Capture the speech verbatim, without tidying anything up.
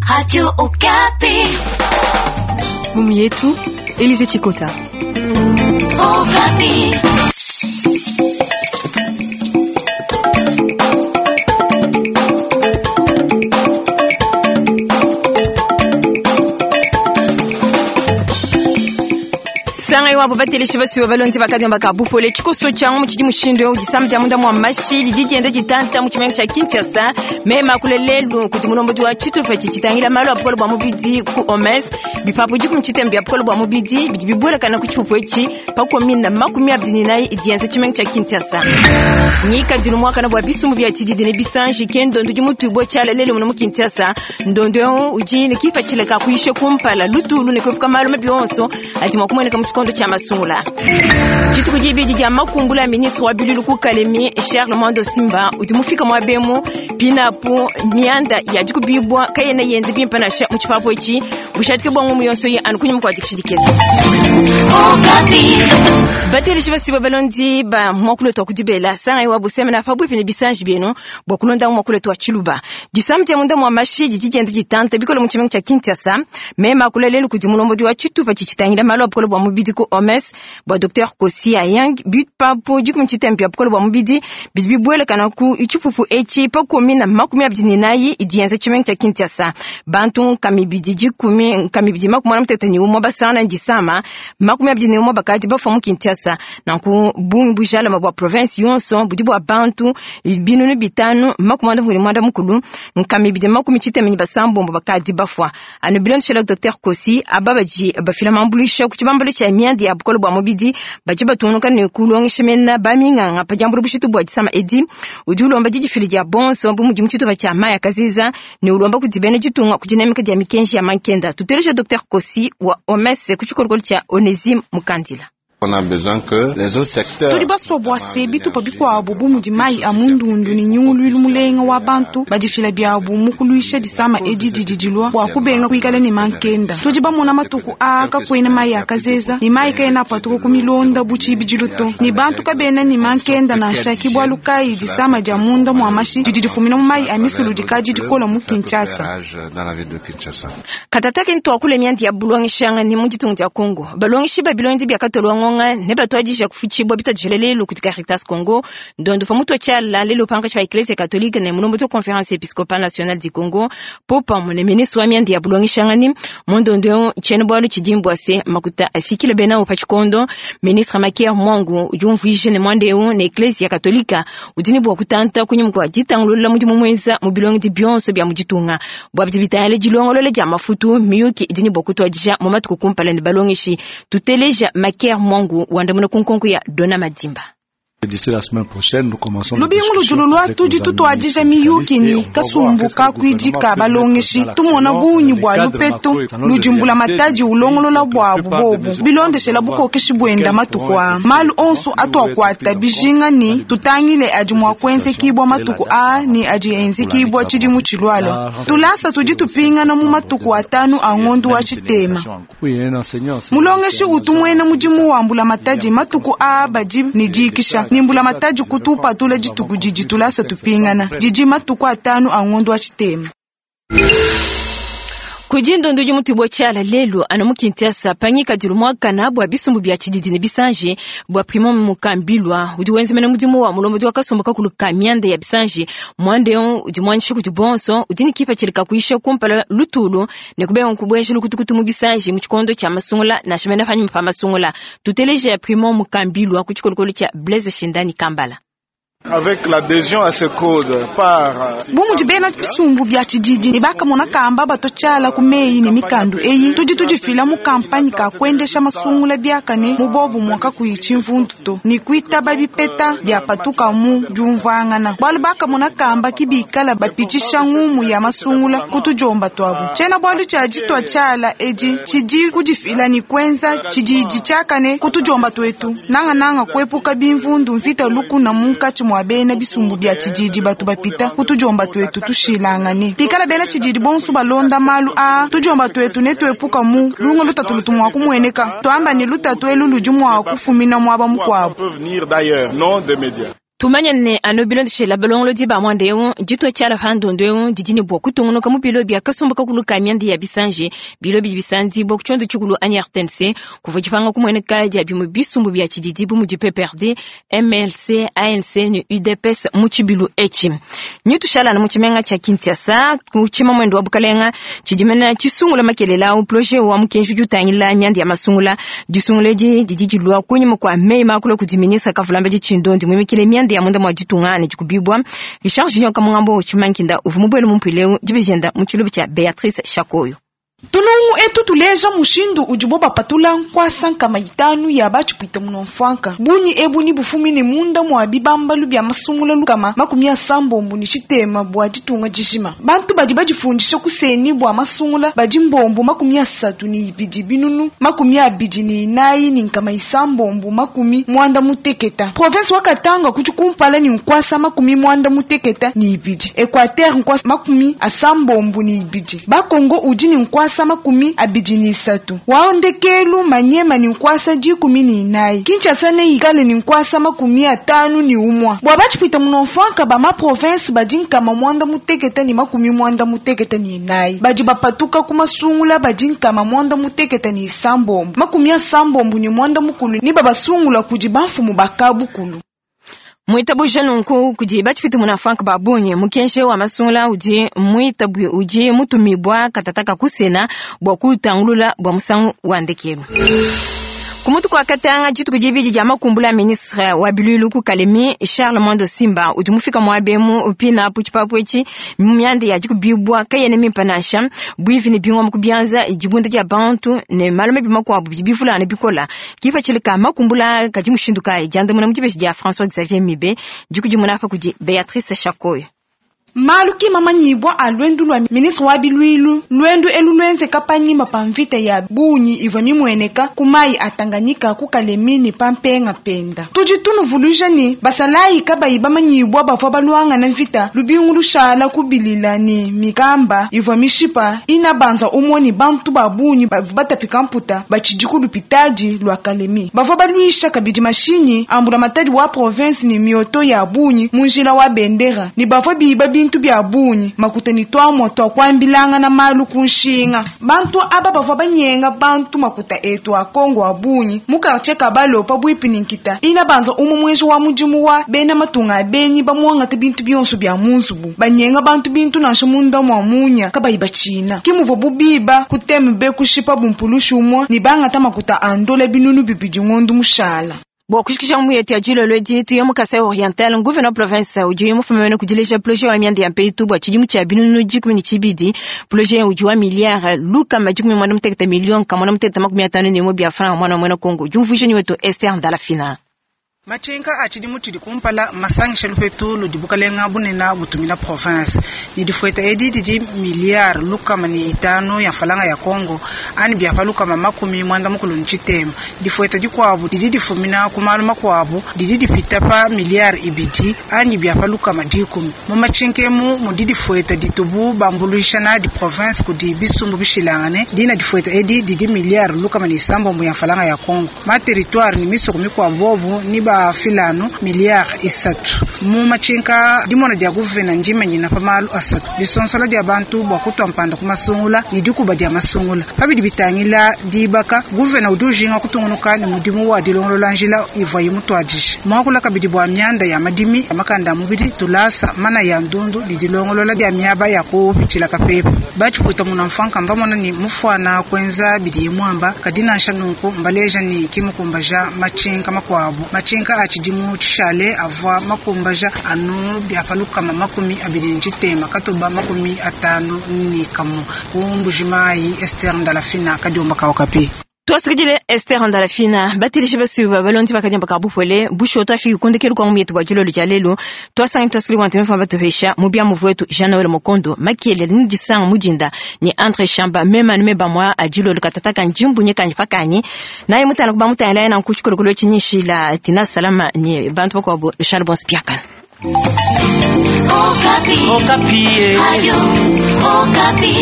Radio Okapi. Mumu yetu Elise Chikota. Okapi. Sanga iwapo bateleshi basiwe balonzi bakadi bakabupole tshikoso tshiangu mu tshidi mushindu eu disama dia munda mua mashi didi dienda ditanta mu tshimenga tshia Kinshasa. Mema kule lelu kudi mulombodi wa tshitupa tshi tshitangila malu a bukole bua mubidi ku O M S, bipapu dikumi tshitembe bia bukole bua mubidi bidi bibuelakana ku tshipupu etshi pa komine makumi abidi ne inayi idi yenza tshimenga tshia Kinshasa. Ngikadilu muakana bua bisumbu bia tshididi ne bisanji ke ndondo udi mutuibue tshiala lelu muno mu Kinshasa. Ndondo eu udi ne kipatshila ka kuyisha kumpala lutulu ne kuepuka malu mabi onso adi mua kumueneka mu tshikondo tshia masungula. Dituku dibidi dia makumbula ya ministre wa bilulu ku Kalemi, Charles Mwando Simba udi mufika muabemu pinapu mianda ya dikubibwa kayena yenze bimpe nansha mu tshipapu etshi bushadike bua ngumu yonso ye anu kunyima kua dikishidikeza. Okapi. Bateleshi basiba balondi ba mwakulo twa kudibela sanga iwa busemena pabuipi ne bisanji bienu bua kulonda mwakulo twa tshiluba. Disama dia munda mua mashi didi dienda ditanta bikole mu tshimenga tshia Kinshasa. Mema kula lelu kudi mulombodi wa tshitupa tshitangila malu a bukole bua mubidi ku O M S bua Docteur Kosi Ayang, bipapu dikumi tshitembe bia bukole bua mubidi bidi bibuelakana ku tshipupu etshi pa komine makumi abidi ne inayi idi yenza tshimenga tshia Kinshasa. Bantu nkama ibidi dikumi nkama ibidi makumi muanda mutekete ne umue basangana disama, makumi abidi ne umue bakadi bafua mu Kinshasa. Nanku bungi bujalama bua province yonso budi bua bantu binunu bitanu makumi muanda mukulu ne muanda mukulu nkama ibidi makumi tshitema ne basambombo bakadi bafua. Anu bilondeshela Docteur Kosi, aba badi bafila mambuluisha ku tshibambalu tshia mianda ya bukole bua mubidi badi batungunuka ne kulongesha mena baminganga pa diambula bushitu bua disama edi. Udi ulomba didifila dia bonso bu mudi mu tshitupa tshia mayi a kaziza ne ulomba kudi bena ditunga ku dinamika dia mikenji ya mankenda. Tuteleja Docteur Kosi wa O M S ku tshikolokolo tshia Onesime Mukandila. On a besoin que les autres secteurs Tudi basua bua se bitupa bikuabu bu mudi mayi a mundundu ne nyunguluilu mulenga wa bantu badifila biabu mu kuluisha disama edi didi dilua bua kubenga kuikala ne mankenda. Tudi bamona matuku aa kakuena mayi a kazeza ne mayi kaena apatuka ku milonda bu tshibidilu to, ne bantu kabena ne mankenda nansha. Ki bualu kayi disama dia munda mua mashi didi difumina mu mayi a misulu dikadi dikola mu Kinshasa. Dans la ville de Kinshasa. Katataki ntwakule mianda ya bulongeshanga ne mu ditunga dia Congo. Balongeshi ba bilondi bia katolwa ngonga ne batwadija kufutshibua bitadijela lelu kudi Caritas Congo. Ndondo fa mutu tshiala lelu pankatshi pa Eklezia Katolike ne mulombodi wa Conférence épiscopale nationale du Congo popamue ne ministre wa mianda ya bulongeshanga ni mu ndondo tshiena bualu tshidi se makuta afikile bena pa tshikondo. Ministre Makier Mwangu udi umvuija ne muanda eu ne Eklezia Katolika udi ne bua kutanta kunyima kua ditangulula mudimu muenza mu bilongedi bionso bia mu ditunga bua bidi bitangila dilongolola dia mafutu. Miyuki idi ne bua kutuadija mu matuku kumpala ne balongeshi. Tuteleja Makier Mwangu wandamuna ku nkonko ya Dona Madimba. D'ici la semaine prochaine, nous commençons Lubingu ludulu lua tudi tutuadija miyuki ni kasumbu kakuidika balongeshi tumona bunyi bua lupetu ludimbula matadi ulongolola buabu bobu bilondeshela bukokeshi buenda matuku a malu onso atuakuata bijinga ni tutangile adi mua kuenzekibua matuku a ni adi enzekibua tshidimu tshilualua. Tulasa tudi tupingana mu matuku atanu a ngondu wa tshitema. Oui, un enseignant. Mulongeshi utu muena mudimu wa mbula matadi matuku a badi ni dikisha ni mbula matadi kutupatula dituku didi tulasa tupingana didi matuku atanu a ngondu wa tshitema. Kudi ndondo udi mutubua tshiala lelu anu mu Kinshasa pangikadilu muakana bua bisumbu bia tshididi ne bisanji bua Primo Mukambilwa udi wenzemena mudimu wa mulombodi wa kasumbu kakulu ka mianda ya bisanji. Muanda eu udi muanyisha kudi bonso, udi ne kipatshila ka kuyisha kumpala lutulu ne kubenga kubueja lukutukutu mu bisanji mu tshikondo tshia masungula nansha mene panyima pa masungula. Tuteleja Primo Mukambilwa ku tshikolokolo tshia Blaise Shindani Kambala. Avec l'adhésion à ce code par Bu mudi bena bisumbu bia tshididi ne bakamona kamba batotshala ku meyi ne mikandu eyi, tudi tudifila mu kampanye ka kuendesha masungula biakane mu bobu mwaka kuyi tshimvundu to ne kuitaba bipeta bia patuka mu diumvuangana, bualu bakamona kamba kibikala bapitshisha ngumu ya masungula ku tudiomba tuabu. Tshiena bualu tshia ditua tshiala edi tshidi kudifila ne kuenza tshididi tshiakane ku tudiomba tuetu, nangananga kuepuka bimvundu, mvita, lukuna munkatshi mua bena bisumbu bia tshididi batu bapita ku tudiomba tuetu tushilangane. Pikala bena tshididi bonso balonda malu aa, tudiomba tuetu ne tuepuka mu lunga lutatu lutu mua kumueneka twamba ne lutatu elu ludi mua kufumina muaba mukuabu. Peut venir d'ailleurs, non des médias. Tumanye ne anu bilondeshela balongolodi ba mwanda eu ditua tshiala pa ndondo eu didi ne bua kutungunuka mu bilo bia kasumbu kakulu ka mianda ya bisanji bilo bidi bisanzibua ku tshiondo tshikulu anyi R T N C kuvua dipanga kumueneka dia bimue bisumbu bia tshididi bu mudi P P R D, M L C, A N C ne U D P S mu tshibilu etshi. Nyi tushalana mu tshimenga tshia Kinshasa ku tshimamwendo wa bukalenga tshidimena tshisungula makelela au projet wa mukenji udi utangila mianda ya masungula. Disungula edi didi dilua kunyima kua meyi makulu kudi ministre Kavulamba Tshindondi muimikile mianda ya munda mwa ditunga ne dikubibwa. Richard Junior Kamungambo Tshimankinda uvua mubuele mu mpileu dibijenda mu tshiluba tshia Beatrice Shakoyo. Tulungu etu tuleja mushindu udibo bapatula nkwasa nkama itanu ya batshipwita munomfwanka. Bunyi ebu ni bufumine munda mwa bibambalu bya masungula lukama makumi asambombo ni tshitema bua ditunga dijima. Bantu badi badifundisha kuseni bua masungula badi mbombo makumi asatu ni ibidi binunu makumi abidi ni inayi ni nkama isambombo makumi mwanda muteketa. Province wa Katanga kudi kumpala ni nkwasa makumi mwanda muteketa ni ibidi. Equateur nkwasa makumi asambombo ni ibidi. Bakongo udi ni nkwasa makumi abidi ni isatu. Waondekelu manyema ni nkwasa dikumi ni inayi. Kinshasa ne ikale ni nkwasa makumi atanu ni umwa. Bwa batshipwita munomfwanka ba ma province badi nkama mwanda muteketa ni makumi mwanda muteketa ni inayi. Badi bapatuka ku masungula badi nkama mwanda muteketa ni isambombo. Makumi asambombo ni mwanda mukulu ni babasungula kudi bamfumu bakabukulu. Mwitabu nunku kudi batshipwita munafwanka babunyi mukenje wa masungula udi mwitabu udi mutumibwa katataka kusena bua kutangulula bua musangu wa ndekelu. Kumutu kwa katanga dituku dibidi dia makumbula ministre wa bilulu ku Kalemi Charles Mwando Simba udi mufika mwabemu upina apu tshipapu etshi myanda ya dikubibwa kayene mimpa nansha bwivi ne bingwa mukubyanza dibunda dia bantu ne malume bimakuabu bidi bivulana bikola kipa tshilika makumbula kadi mushindu kayi diandamuna mu dibeji dia François Xavier Mibe dikudimuna apa kudi Beatrice Shakoyo. Malu kimamanyibwa a lwendu lwa ministre wa bilwilu lwendu elu lwenze kapanyima pa mvita ya bunyi ivwa mimweneka kumayi a Tanganyika ku Kalemi ni pampenga penda. Tudi tunuvuluja ni basalayi kabayi bamanyibwa bavwa balwanga na mvita lubingu lushala kubilila ni mikamba ivwa mishipa ina banza umoni bantu ba bunyi batapika mputa bachidiku lupitadi lwa Kalemi. Bavwa balwisha kabidi mashinyi ambula matadi wa province ni mioto ya bunyi munjila wa bendera ni bavwa biba bintu bya bunyi makuta ni twamwa twakwambilanga na malu kunshinga. Bantu aba bavwa banyenga bantu makuta etu a Kongo a bunyi mu quartier Kabalopa bwipi ni nkita ina banza umu mwenji wa mudimu wa bena matunga abenyi bamwangata bintu byonso bya munzubu banyenga bantu bintu nansha munda mwa munya kabayi bachina kimuvwa bubiba kutembe kushipa bumpulushu umwa ni bangata makuta andola binunu bibidi ngondu mushala. Bua kushikisha mu yetu ya dilolo edi tuye mu Kasai Oriental gouverneur province udi mufumene kudileja projet wa mianda ya mpeitu bua tshidimu tshia binunu dikumi ne tshibidi projet udi wa milliard lukama dikumi mwanda mutekete million kamwana mutekete makumi atanu ne imue bia franc mwana mwena Kongo diumvuija ni wetu Esther Ndalafina. Machinka achidi mutidi kumpala masangisha lupetu ludibukalenga bunena butumila province ni difueta edi didi milliard lukama ni itanu ya falanga ya Kongo ani bya lukama makumi mwanda mukulu nchitema difueta dikwabu didi difumina kumalu makwabu didi dipita pa milliard ibidi ani bya lukama dikumi mu machinkemu mudi difueta ditubu bambuluisha na di province kudi bisumbu bishilangane dina difueta edi didi milliard lukama ni sambombo ya falanga ya Kongo ma territoire ni misoko mikwabu bobu ni ba filano milliard isatu mu machinka dimona dia guvena njimanye na pamalu asatu lisonsola dia bantu bwa kutwa mpanda kumasungula ni dikuba dia masungula pabidi bitangila dibaka guvena udujinga kutungunuka ni mudimu wa dilongolola njila ivwa yimutwadisha mwakula kabidi bwa myanda ya madimi amakanda mubidi tulasa mana ya ndundu ni dilongolola dia myaba ya kupichila kapepe bachiputa munamfanka mbamona ni mufwana kwenza bidi mwamba kadina nshanunku mbaleja ni kimukumbaja machinka makwabu machinka achidimu chishale avwa makumbaja anu byapaluka makumi abiri njitema katoba makumi atanu ni kamu kumbujimayi Esther Ndalafina kadiomba kaokapi. Twasikidile Esther Ndalafina batilishe basuba balondi bakanyamba kabupwele busho twafika kundekelu kwa myetu bwa dilolo dia lelo twasangi twasikili kwa ntemefa batuhesha mubya muvu wetu Jean Noël Mokondo makiele ni disanga mudinda ni Andre Shamba mema nume bamwa adilolo katataka njimbu nyekanyi pakanyi naye mutana kuba mutana laye na nkuchikolokolo chinyishila tina salama ni bantu bakwabo Charles Bonspiakana. Okapi. Okapi. Radio Okapi.